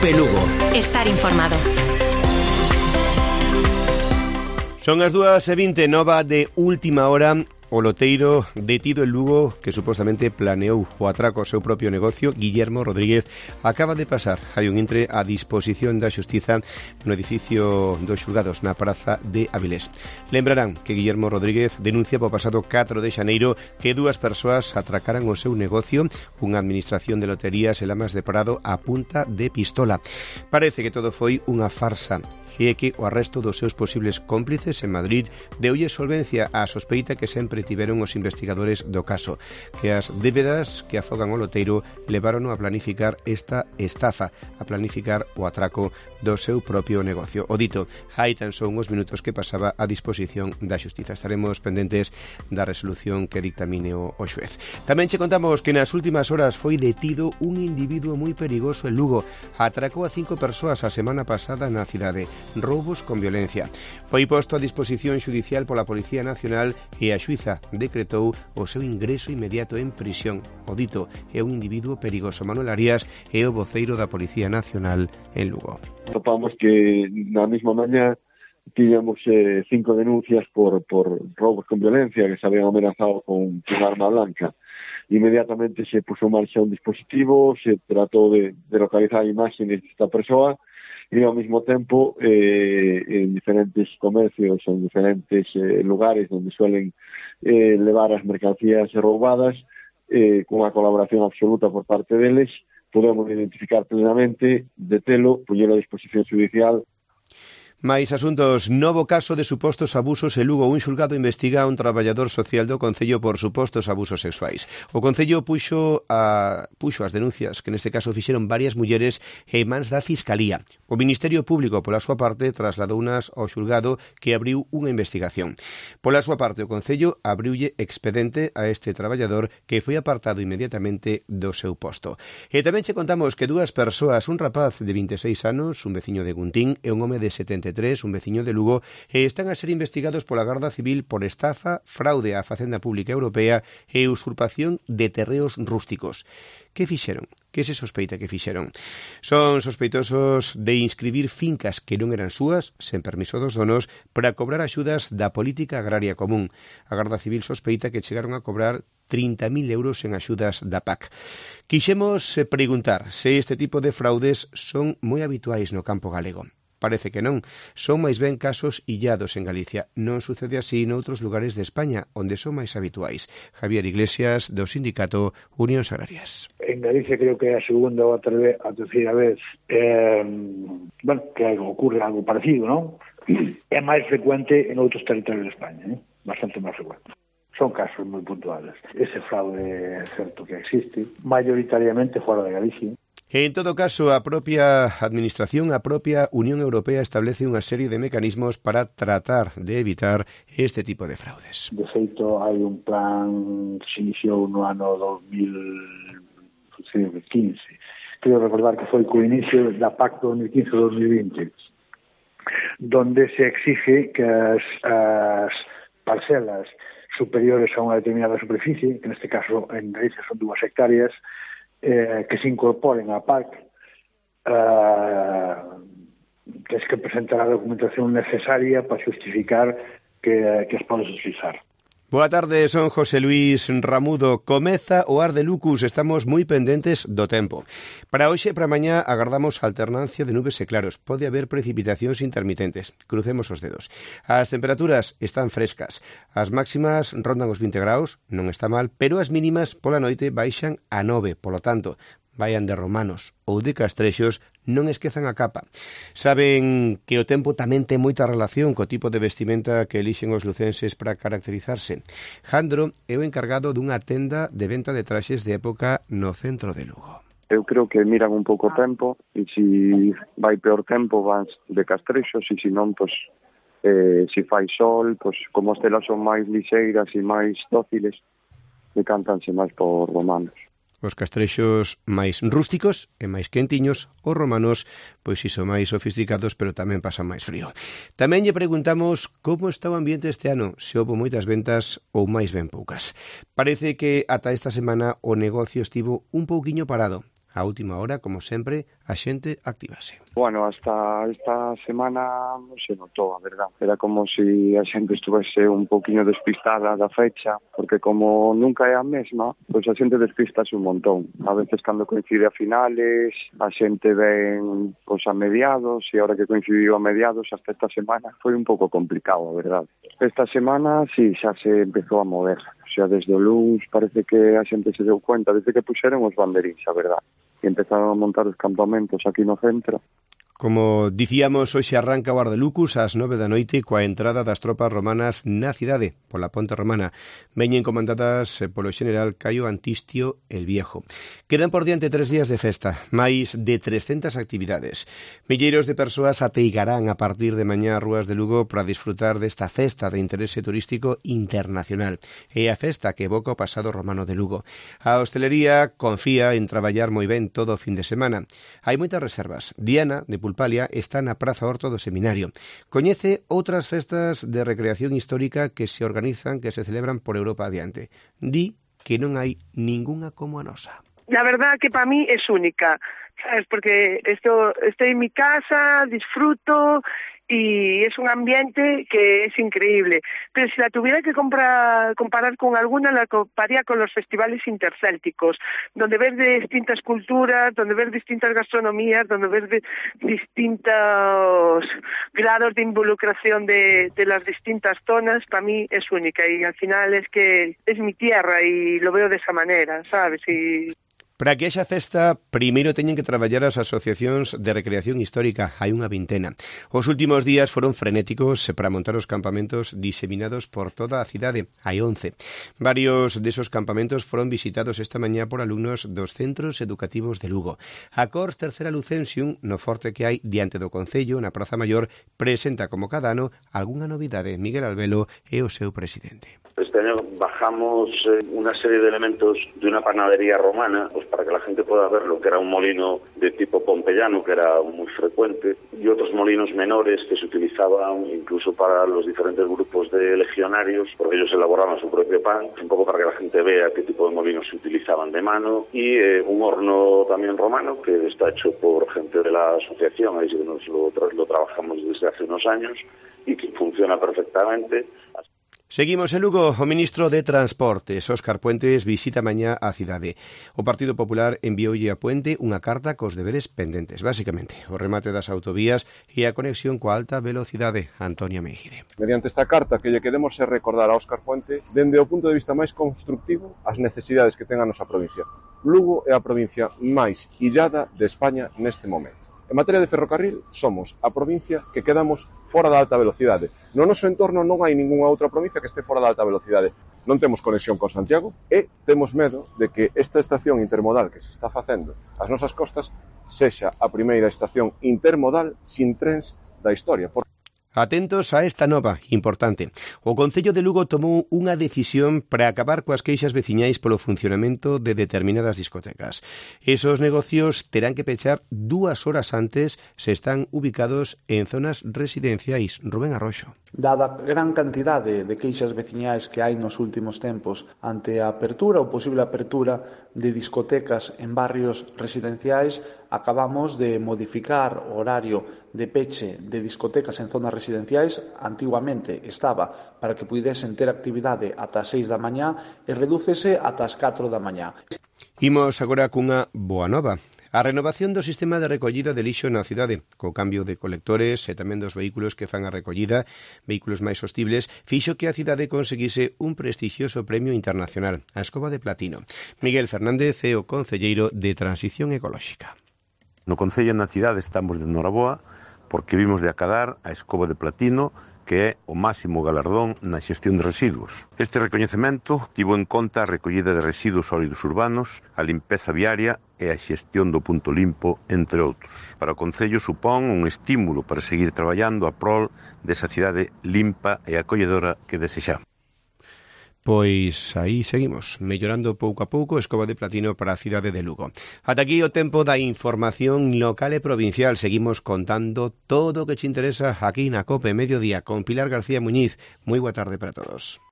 Cope Lugo. Estar informado. Son as 2:20, nova de última hora. O loteiro detido en Lugo, que supostamente planeou o atraco ao seu propio negocio, Guillermo Rodríguez, acaba de pasar. Hai un intre a disposición da Xustiza no edificio dos xulgados na praza de Avilés. Lembrarán que Guillermo Rodríguez denuncia po pasado 4 de xaneiro que dúas persoas atracaran o seu negocio, unha administración de loterías en Lamas de Prado a punta de pistola. Parece que todo foi unha farsa, e que o arresto dos seus posibles cómplices en Madrid deulle solvencia á sospeita que sempre tiveron os investigadores do caso, que as débedas que afogan o loteiro levaron a planificar esta estafa, a planificar o atraco do seu propio negocio. O dito, hai tan só uns minutos que pasaba a disposición da Xustiza. Estaremos pendentes da resolución que dictamine o xuez. Tamén che contamos que nas últimas horas foi detido un individuo moi perigoso en Lugo. Atracou a 5 persoas a semana pasada na cidade. Roubos con violencia. Foi posto a disposición xudicial pola Policía Nacional e a xuíza decretou o seu ingreso inmediato en prisión. O dito é un individuo perigoso. Manuel Arias é o voceiro da Policía Nacional en Lugo. Topamos que na mesma mañá tiñamos 5 denuncias por roubos con violencia que se habían amenazado con arma blanca. Inmediatamente se puso en marcha un dispositivo, se tratou de localizar imágenes desta persoa e ao mesmo tempo en diferentes comercios, en diferentes lugares onde suelen levar as mercancías roubadas, con a colaboración absoluta por parte deles, podemos identificar plenamente, detelo, poñelo a disposición judicial. Mais asuntos, novo caso de supostos abusos en Lugo. Un xulgado investiga a un traballador social do Concello por supostos abusos sexuais. O Concello puxo as denuncias, que neste caso fixeron varias mulleres, en mans da Fiscalía. O Ministerio Público, pola súa parte, trasladounas ao xulgado que abriu unha investigación. Pola súa parte, o Concello abriulle expedente a este traballador que foi apartado inmediatamente do seu posto. E tamén che contamos que dúas persoas, un rapaz de 26 anos, un veciño de Guntín, e un home de 73, un veciño de Lugo, están a ser investigados pola Garda Civil por estafa, fraude á Facenda Pública Europea e usurpación de terreos rústicos. Que fixeron? Que se sospeita que fixeron? Son sospeitosos de inscribir fincas que non eran súas, sen permiso dos donos, para cobrar axudas da Política Agraria Común. A Garda Civil sospeita que chegaron a cobrar 30.000 euros en axudas da PAC. Quixemos preguntar se este tipo de fraudes son moi habituais no campo galego. Parece que non. Son máis ben casos illados en Galicia. Non sucede así noutros lugares de España, onde son máis habituais. Javier Iglesias, do sindicato Unión Agrarias. En Galicia creo que é a segunda ou a terceira vez que ocurre algo parecido, non? É máis frecuente en outros territorios de España, bastante máis frecuente. Son casos moi puntuales. Ese fraude é certo que existe, maioritariamente fora de Galicia. En todo caso, a propia Administración, a propia Unión Europea establece unha serie de mecanismos para tratar de evitar este tipo de fraudes. De feito, hai un plan que se iniciou no ano 2015. Quero recordar que foi co inicio da PAC 2015-2020, donde se exige que as parcelas superiores a unha determinada superficie, que neste caso en Galicia son 2 hectáreas, que se incorporen á PAC, tens que presentar a documentación necesaria para justificar que as podes utilizar. Boa tarde, son José Luis Ramudo. Comeza o Ar de Lucus, estamos moi pendentes do tempo. Para hoxe e para mañá agardamos alternancia de nubes e claros. Pode haber precipitacións intermitentes. Crucemos os dedos. As temperaturas están frescas. As máximas rondan os 20 graus, non está mal, pero as mínimas pola noite baixan a 9. Polo tanto, vayan de romanos ou de castrexos, non esquezan a capa. Saben que o tempo tamén ten moita relación co tipo de vestimenta que elixen os lucenses para caracterizarse. Jandro é o encargado dunha tenda de venta de traxes de época no centro de Lugo. Eu creo que miran un pouco o tempo e se vai peor tempo van de castrexos e se non, pois, se fai sol, pois, como as telas son máis lixeiras e máis dóciles, decántanse máis por romanos. Os castrexos máis rústicos e máis quentiños, os romanos, pois iso máis sofisticados, pero tamén pasan máis frío. Tamén lle preguntamos como está o ambiente este ano, se houbo moitas ventas ou máis ben poucas. Parece que ata esta semana o negocio estivo un pouquiño parado. A última hora, como sempre, a xente activase. Bueno, hasta esta semana non se notou, a verdad. Era como se a xente estuvese un poquinho despistada da fecha, porque como nunca é a mesma, pois a xente despistase un montón. A veces cando coincide a finales, a xente ven pois a mediados, e ahora que coincidiu a mediados hasta esta semana foi un pouco complicado, a verdad. Esta semana, sí, xa se empezou a mover. Xa desde o luns parece que a xente se deu cuenta, desde que puxeron os banderís, a verdad. E empezaron a montar os campamentos aquí no centro. Como dicíamos, hoxe arranca o Ardelucus ás 9 da noite coa entrada das tropas romanas na cidade, pola Ponte Romana. Veñen comandadas polo general Caio Antistio el Viejo. Quedan por diante 3 días de festa, máis de 300 actividades. Milleiros de persoas ateigarán a partir de mañá as rúas de Lugo para disfrutar desta festa de interese turístico internacional. É a festa que evoca o pasado romano de Lugo. A hostelería confía en traballar moi ben todo o fin de semana. Hai moitas reservas. Diana, de Pulpalia, está na Praza Horto do Seminario. Coñece outras festas de recreación histórica que se organizan, que se celebran por Europa adiante. Di que non hai ningunha como a nosa. La verdad que para mí es única, ¿sabes? Porque estoy en mi casa, disfruto y es un ambiente que es increíble. Pero si la tuviera que comparar con alguna, la compararía con los festivales intercélticos, donde ves de distintas culturas, donde ves distintas gastronomías, donde ves de distintos grados de involucración de las distintas zonas. Para mí es única y al final es que es mi tierra y lo veo de esa manera, ¿sabes? Y para que haxa festa, primeiro teñen que traballar as asociacións de recreación histórica. Hai unha vintena. Os últimos días foron frenéticos para montar os campamentos diseminados por toda a cidade. Hai 11. Varios desos campamentos foron visitados esta mañá por alumnos dos centros educativos de Lugo. A Cors Tercera Lucensium, no forte que hai diante do Concello, na Praza Maior, presenta como cada ano algunha novidade. Miguel Albelo é o seu presidente. Este año bajamos una serie de elementos de una panadería romana, pues para que la gente pueda ver lo que era un molino de tipo pompeyano, que era muy frecuente, y otros molinos menores que se utilizaban incluso para los diferentes grupos de legionarios, porque ellos elaboraban su propio pan, un poco para que la gente vea qué tipo de molinos se utilizaban de mano, y un horno también romano, que está hecho por gente de la asociación, ahí sí que lo trabajamos desde hace unos años, y que funciona perfectamente. Seguimos en Lugo. O ministro de Transportes, Óscar Puentes, visita mañá a cidade. O Partido Popular envioulle a Puente unha carta cos deberes pendentes. Básicamente, o remate das autovías e a conexión coa alta velocidade. Antonio Meijide. Mediante esta carta que lle queremos recordar a Óscar Puente, dende o punto de vista máis constructivo, as necesidades que ten a nosa provincia. Lugo é a provincia máis illada de España neste momento. En materia de ferrocarril, somos a provincia que quedamos fora da alta velocidade. No noso entorno non hai ningunha outra provincia que este fora da alta velocidade. Non temos conexión con Santiago e temos medo de que esta estación intermodal que se está facendo ás nosas costas sexa a primeira estación intermodal sin trens da historia. Atentos a esta nova importante. O Concello de Lugo tomou unha decisión para acabar coas queixas veciñais polo funcionamento de determinadas discotecas. Esos negocios terán que pechar 2 horas antes se están ubicados en zonas residenciais. Rubén Arroxo. Dada a gran cantidade de queixas veciñais que hai nos últimos tempos ante a apertura ou posible apertura de discotecas en barrios residenciais, acabamos de modificar o horario de peche de discotecas en zonas residenciais. Antiguamente estaba para que puidesen ter actividade ata as 6 da mañá e redúcese ata as 4 da mañá. Imos agora cunha boa nova. A renovación do sistema de recollida de lixo na cidade, co cambio de colectores e tamén dos vehículos que fan a recollida, vehículos máis sostibles, fixo que a cidade conseguise un prestixioso premio internacional, a Escoba de Platino. Miguel Fernández é o concelleiro de Transición Ecolóxica. No Concello e na cidade estamos de noraboa porque vimos de acadar a Escoba de Platino, que é o máximo galardón na xestión de residuos. Este recoñecemento tivo en conta a recollida de residuos sólidos urbanos, a limpeza viaria e a xestión do punto limpo, entre outros. Para o Concello supón un estímulo para seguir traballando a prol desa cidade limpa e acolledora que desexamos. Pois aí seguimos, mellorando pouco a pouco Escoba de Platino para a cidade de Lugo. Ata aquí o tempo da información local e provincial. Seguimos contando todo o que te interesa aquí na COPE Mediodía con Pilar García Muñiz. Moi boa tarde para todos.